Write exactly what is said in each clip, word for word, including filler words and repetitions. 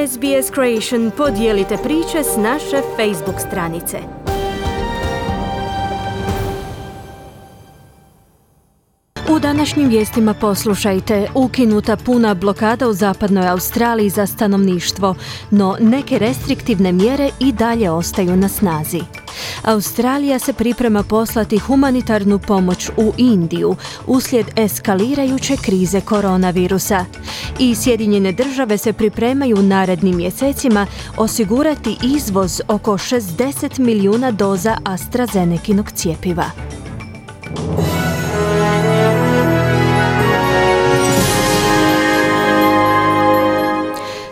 S B S Creation, podijelite priče s naše Facebook stranice. U današnjim vijestima poslušajte: ukinuta puna blokada u zapadnoj Australiji za stanovništvo, no neke restriktivne mjere i dalje ostaju na snazi. Australija se priprema poslati humanitarnu pomoć u Indiju uslijed eskalirajuće krize koronavirusa. I Sjedinjene države se pripremaju narednim mjesecima osigurati izvoz oko šezdeset milijuna doza AstraZenekinog cjepiva.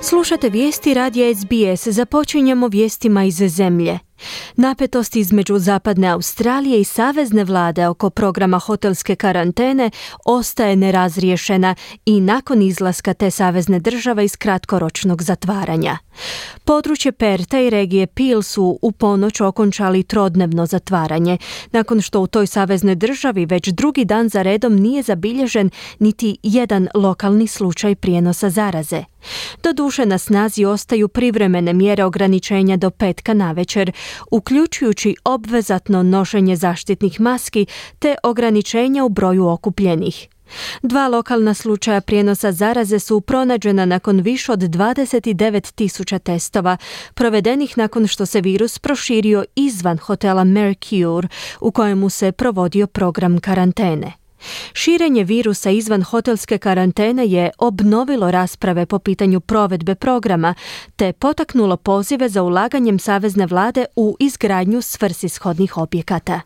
Slušate vijesti radija S B S. Započinjemo vijestima iz zemlje. Napetost između zapadne Australije i savezne vlade oko programa hotelske karantene ostaje nerazriješena i nakon izlaska te savezne države iz kratkoročnog zatvaranja. Područje Perta i regije Peel su u ponoć okončali trodnevno zatvaranje, nakon što u toj saveznoj državi već drugi dan za redom nije zabilježen niti jedan lokalni slučaj prijenosa zaraze. Doduše, na snazi ostaju privremene mjere ograničenja do petka navečer, uključujući obvezatno nošenje zaštitnih maski te ograničenja u broju okupljenih. Dva lokalna slučaja prijenosa zaraze su pronađena nakon više od dvadeset devet tisuća testova, provedenih nakon što se virus proširio izvan hotela Mercure, u kojemu se provodio program karantene. Širenje virusa izvan hotelske karantene je obnovilo rasprave po pitanju provedbe programa, te potaknulo pozive za ulaganjem savezne vlade u izgradnju svrsishodnih objekata.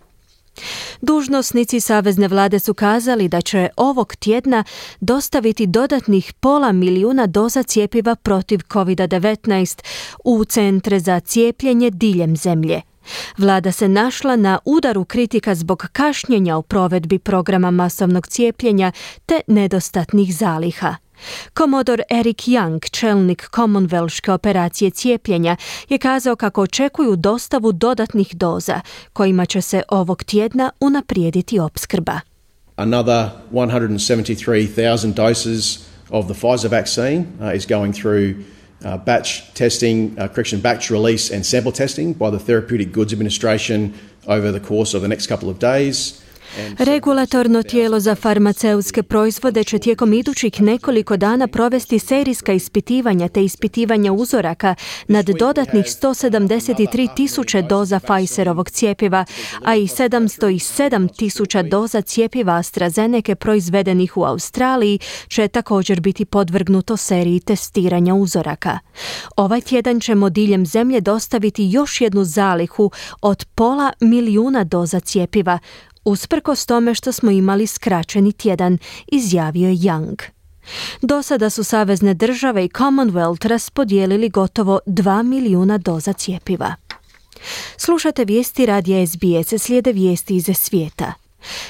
Dužnosnici savezne vlade su kazali da će ovog tjedna dostaviti dodatnih pola milijuna doza cjepiva protiv covid devetnaest u centre za cijepljenje diljem zemlje. Vlada se našla na udaru kritika zbog kašnjenja u provedbi programa masovnog cijepljenja te nedostatnih zaliha. Komodor Eric Young, čelnik Commonwealthske operacije cijepljenja, je kazao kako očekuju dostavu dodatnih doza, kojima će se ovog tjedna unaprijediti opskrba. Another one hundred seventy-three thousand doses of the Pfizer vaccine uh, is going through Uh, batch testing, uh, correction, batch release and sample testing by the Therapeutic Goods Administration over the course of the next couple of days. Regulatorno tijelo za farmaceutske proizvode će tijekom idućih nekoliko dana provesti serijska ispitivanja te ispitivanja uzoraka nad dodatnih sto sedamdeset tri tisuće doza Pfizerovog cjepiva, a i sedamsto sedam tisuća doza cjepiva AstraZeneke proizvedenih u Australiji će također biti podvrgnuto seriji testiranja uzoraka. Ovaj tjedan ćemo diljem zemlje dostaviti još jednu zalihu od pola milijuna doza cjepiva, usprkos tome što smo imali skraćeni tjedan, izjavio je Young. Do sada su savezne države i Commonwealth raspodijelili gotovo dva milijuna doza cjepiva. Slušate vijesti radija S B S, slijede vijesti iz svijeta.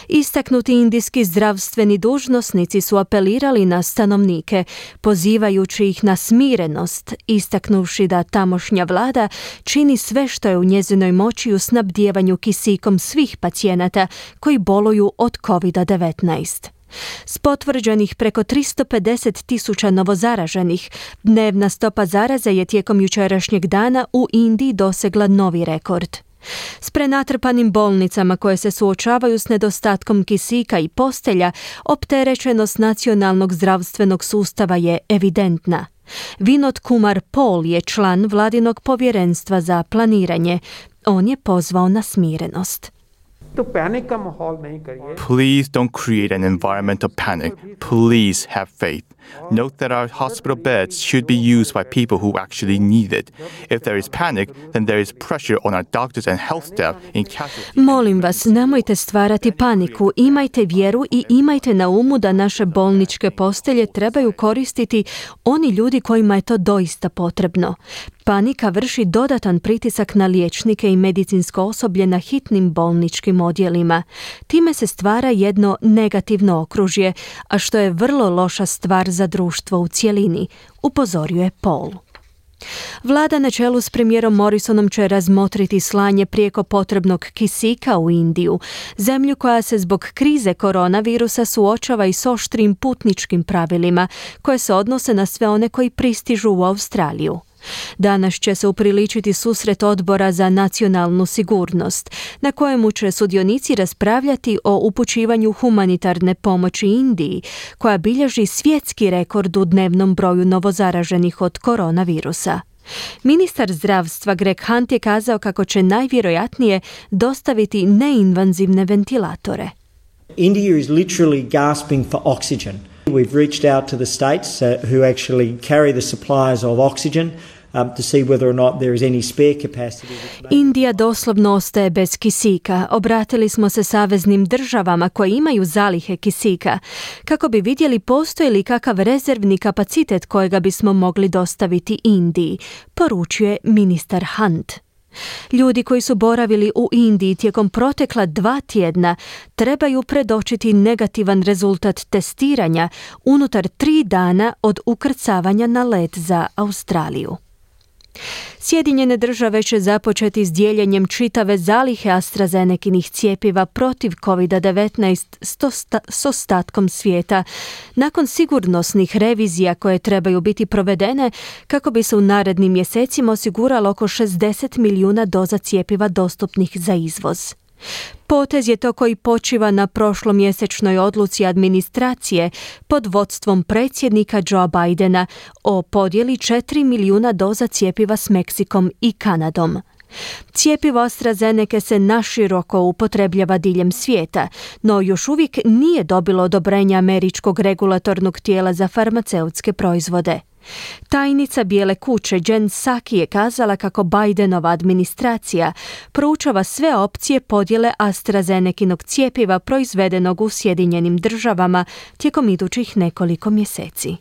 Istaknuti indijski zdravstveni dužnosnici su apelirali na stanovnike, pozivajući ih na smirenost, istaknuvši da tamošnja vlada čini sve što je u njezinoj moći u snabdijevanju kisikom svih pacijenata koji boluju od covid devetnaest. S potvrđenih preko tristo pedeset tisuća novozaraženih, dnevna stopa zaraze je tijekom jučerašnjeg dana u Indiji dosegla novi rekord. S prenatrpanim bolnicama koje se suočavaju s nedostatkom kisika i postelja, opterećenost nacionalnog zdravstvenog sustava je evidentna. Vinod Kumar Paul je član vladinog povjerenstva za planiranje. On je pozvao na smirenost. Please don't create an environment of panic. Please have faith. Note that our hospital beds should be used by people who actually need it. If there is panic, then there is pressure on our doctors and health staff in casualty. Molim vas, nemojte stvarati paniku, imajte vjeru i imajte na umu da naše bolničke postelje trebaju koristiti oni ljudi kojima je to doista potrebno. Panika vrši dodatan pritisak na liječnike i medicinsko osoblje na hitnim bolničkim odjelima. Time se stvara jedno negativno okružje, a što je vrlo loša stvar za društvo u cjelini, upozorio je Paul. Vlada na čelu s premijerom Morrisonom će razmotriti slanje prijeko potrebnog kisika u Indiju, zemlju koja se zbog krize koronavirusa suočava i s oštrim putničkim pravilima koje se odnose na sve one koji pristižu u Australiju. Danas će se upriličiti susret Odbora za nacionalnu sigurnost, na kojemu će sudionici raspravljati o upućivanju humanitarne pomoći Indiji, koja bilježi svjetski rekord u dnevnom broju novozaraženih od koronavirusa. Ministar zdravstva Greg Hunt je kazao kako će najvjerojatnije dostaviti neinvazivne ventilatore. India is literally gasping for oxygen. We've reached out to the states uh, who actually carry the supplies of oxygen um, to see whether or not there is any spare capacity. Indija doslovno ostaje bez kisika. Obratili smo se saveznim državama koje imaju zalihe kisika kako bi vidjeli postoji li kakav rezervni kapacitet kojega bismo mogli dostaviti Indiji, poručuje ministar Hunt. Ljudi koji su boravili u Indiji tijekom protekla dva tjedna trebaju predočiti negativan rezultat testiranja unutar tri dana od ukrcavanja na let za Australiju. Sjedinjene države će započeti s dijeljenjem čitave zalihe AstraZenekinih cjepiva protiv kovid devetnaest s ostatkom svijeta, nakon sigurnosnih revizija koje trebaju biti provedene kako bi se u narednim mjesecima osiguralo oko šezdeset milijuna doza cjepiva dostupnih za izvoz. Potez je to koji počiva na prošlomjesečnoj odluci administracije pod vodstvom predsjednika Joe Bidena o podjeli četiri milijuna doza cjepiva s Meksikom i Kanadom. Cjepivo AstraZeneca se naširoko upotrebljava diljem svijeta, no još uvijek nije dobilo odobrenje američkog regulatornog tijela za farmaceutske proizvode. Tajnica Bijele kuće Jen Psaki je kazala kako Bidenova administracija proučava sve opcije podjele AstraZenekinog cjepiva proizvedenog u Sjedinjenim državama tijekom idućih nekoliko mjeseci.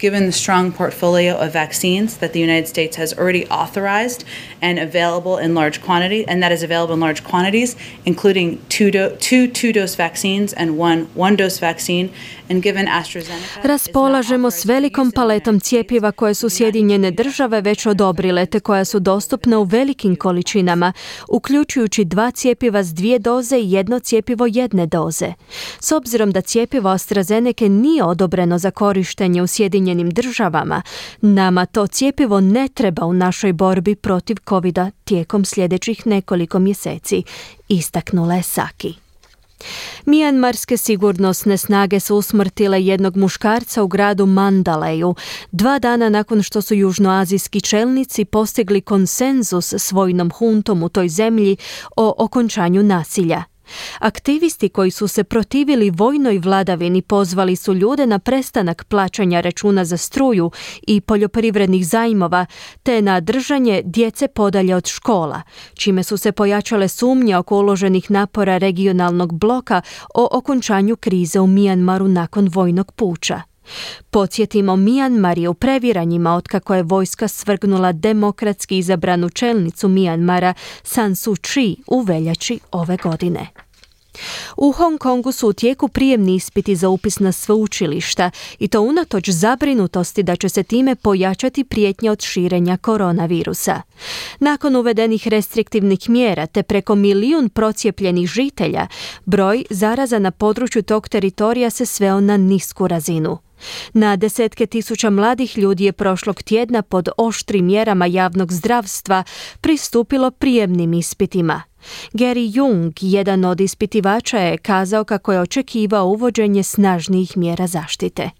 Given the strong portfolio of vaccines that the United States has already authorized and available in large quantity, and that is available in large quantities, including two, do, two two-dose vaccines and one one-dose vaccine, and given AstraZeneca... Raspolažemo s velikom paletom cjepiva koje su Sjedinjene države već odobrile te koja su dostupna u velikim količinama, uključujući dva cjepiva s dvije doze i jedno cjepivo jedne doze. S obzirom da cjepivo AstraZeneca nije odobreno za korištenje u Sjedinjenim državama, nama to cjepivo ne treba u našoj borbi protiv covida tijekom sljedećih nekoliko mjeseci, istaknula je Psaki. Mijanmarske sigurnosne snage su usmrtile jednog muškarca u gradu Mandaleju, dva dana nakon što su južnoazijski čelnici postigli konsenzus s vojnom huntom u toj zemlji o okončanju nasilja. Aktivisti koji su se protivili vojnoj vladavini pozvali su ljude na prestanak plaćanja računa za struju i poljoprivrednih zajmova te na držanje djece podalje od škola, čime su se pojačale sumnje oko uloženih napora regionalnog bloka o okončanju krize u Mijanmaru nakon vojnog puča. Podsjetimo, Mijanmar je u previranjima otkako je vojska svrgnula demokratski izabranu čelnicu Mijanmara San Suu Kyi u veljači ove godine. U Hong Kongu su u tijeku prijemni ispiti za upis na sveučilišta i to unatoč zabrinutosti da će se time pojačati prijetnja od širenja koronavirusa. Nakon uvedenih restriktivnih mjera te preko milijun procijepljenih žitelja, broj zaraza na području tog teritorija se sveo na nisku razinu. Na desetke tisuća mladih ljudi je prošlog tjedna pod oštrim mjerama javnog zdravstva pristupilo prijemnim ispitima. Gary Jung, jedan od ispitivača, je kazao kako je očekivao uvođenje snažnijih mjera zaštite.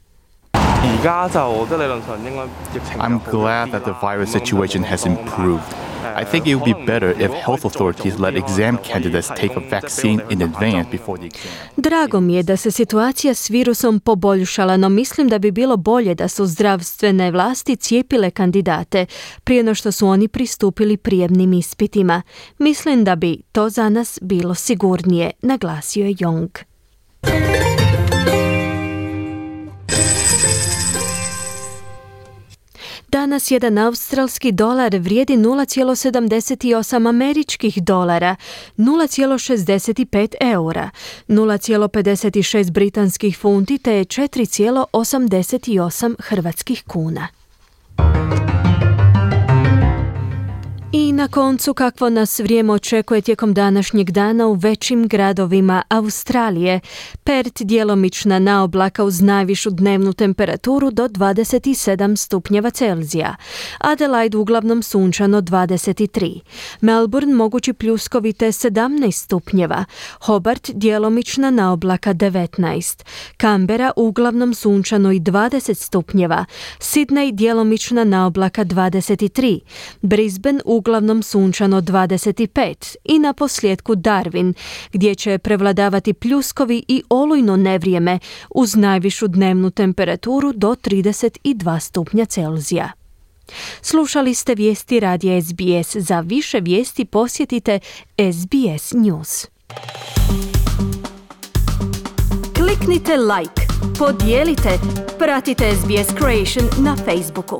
I'm glad that the virus situation has improved. I think it would be better if health authorities let exam candidates take a vaccine in advance before the exam. Drago mi je da se situacija s virusom poboljšala, no mislim da bi bilo bolje da su zdravstvene vlasti cijepile kandidate prije no što su oni pristupili prijemnim ispitima. Mislim da bi to za nas bilo sigurnije, naglasio je Jong. Danas jedan australski dolar vrijedi nula zarez sedamdeset osam američkih dolara, nula zarez šezdeset pet eura, nula zarez pedeset šest britanskih funti te četiri zarez osamdeset osam hrvatskih kuna. I na koncu, kakvo nas vrijeme očekuje tijekom današnjeg dana u većim gradovima Australije. Perth djelomična naoblaka uz najvišu dnevnu temperaturu do dvadeset sedam stupnjeva Celzija. Adelaide uglavnom sunčano dvadeset tri. Melbourne mogući pljuskovite sedamnaest stupnjeva. Hobart djelomična naoblaka devetnaest. Canberra uglavnom sunčano i dvadeset stupnjeva. Sydney djelomična naoblaka dvadeset tri. Brisbane uglavnom sunčano dvadeset pet i na posljedku Darwin, gdje će prevladavati pljuskovi i olujno nevrijeme uz najvišu dnevnu temperaturu do trideset dva stupnja Celzija. Slušali ste vijesti radija S B S. Za više vijesti posjetite S B S News. Kliknite like, podijelite, pratite S B S Creation na Facebooku.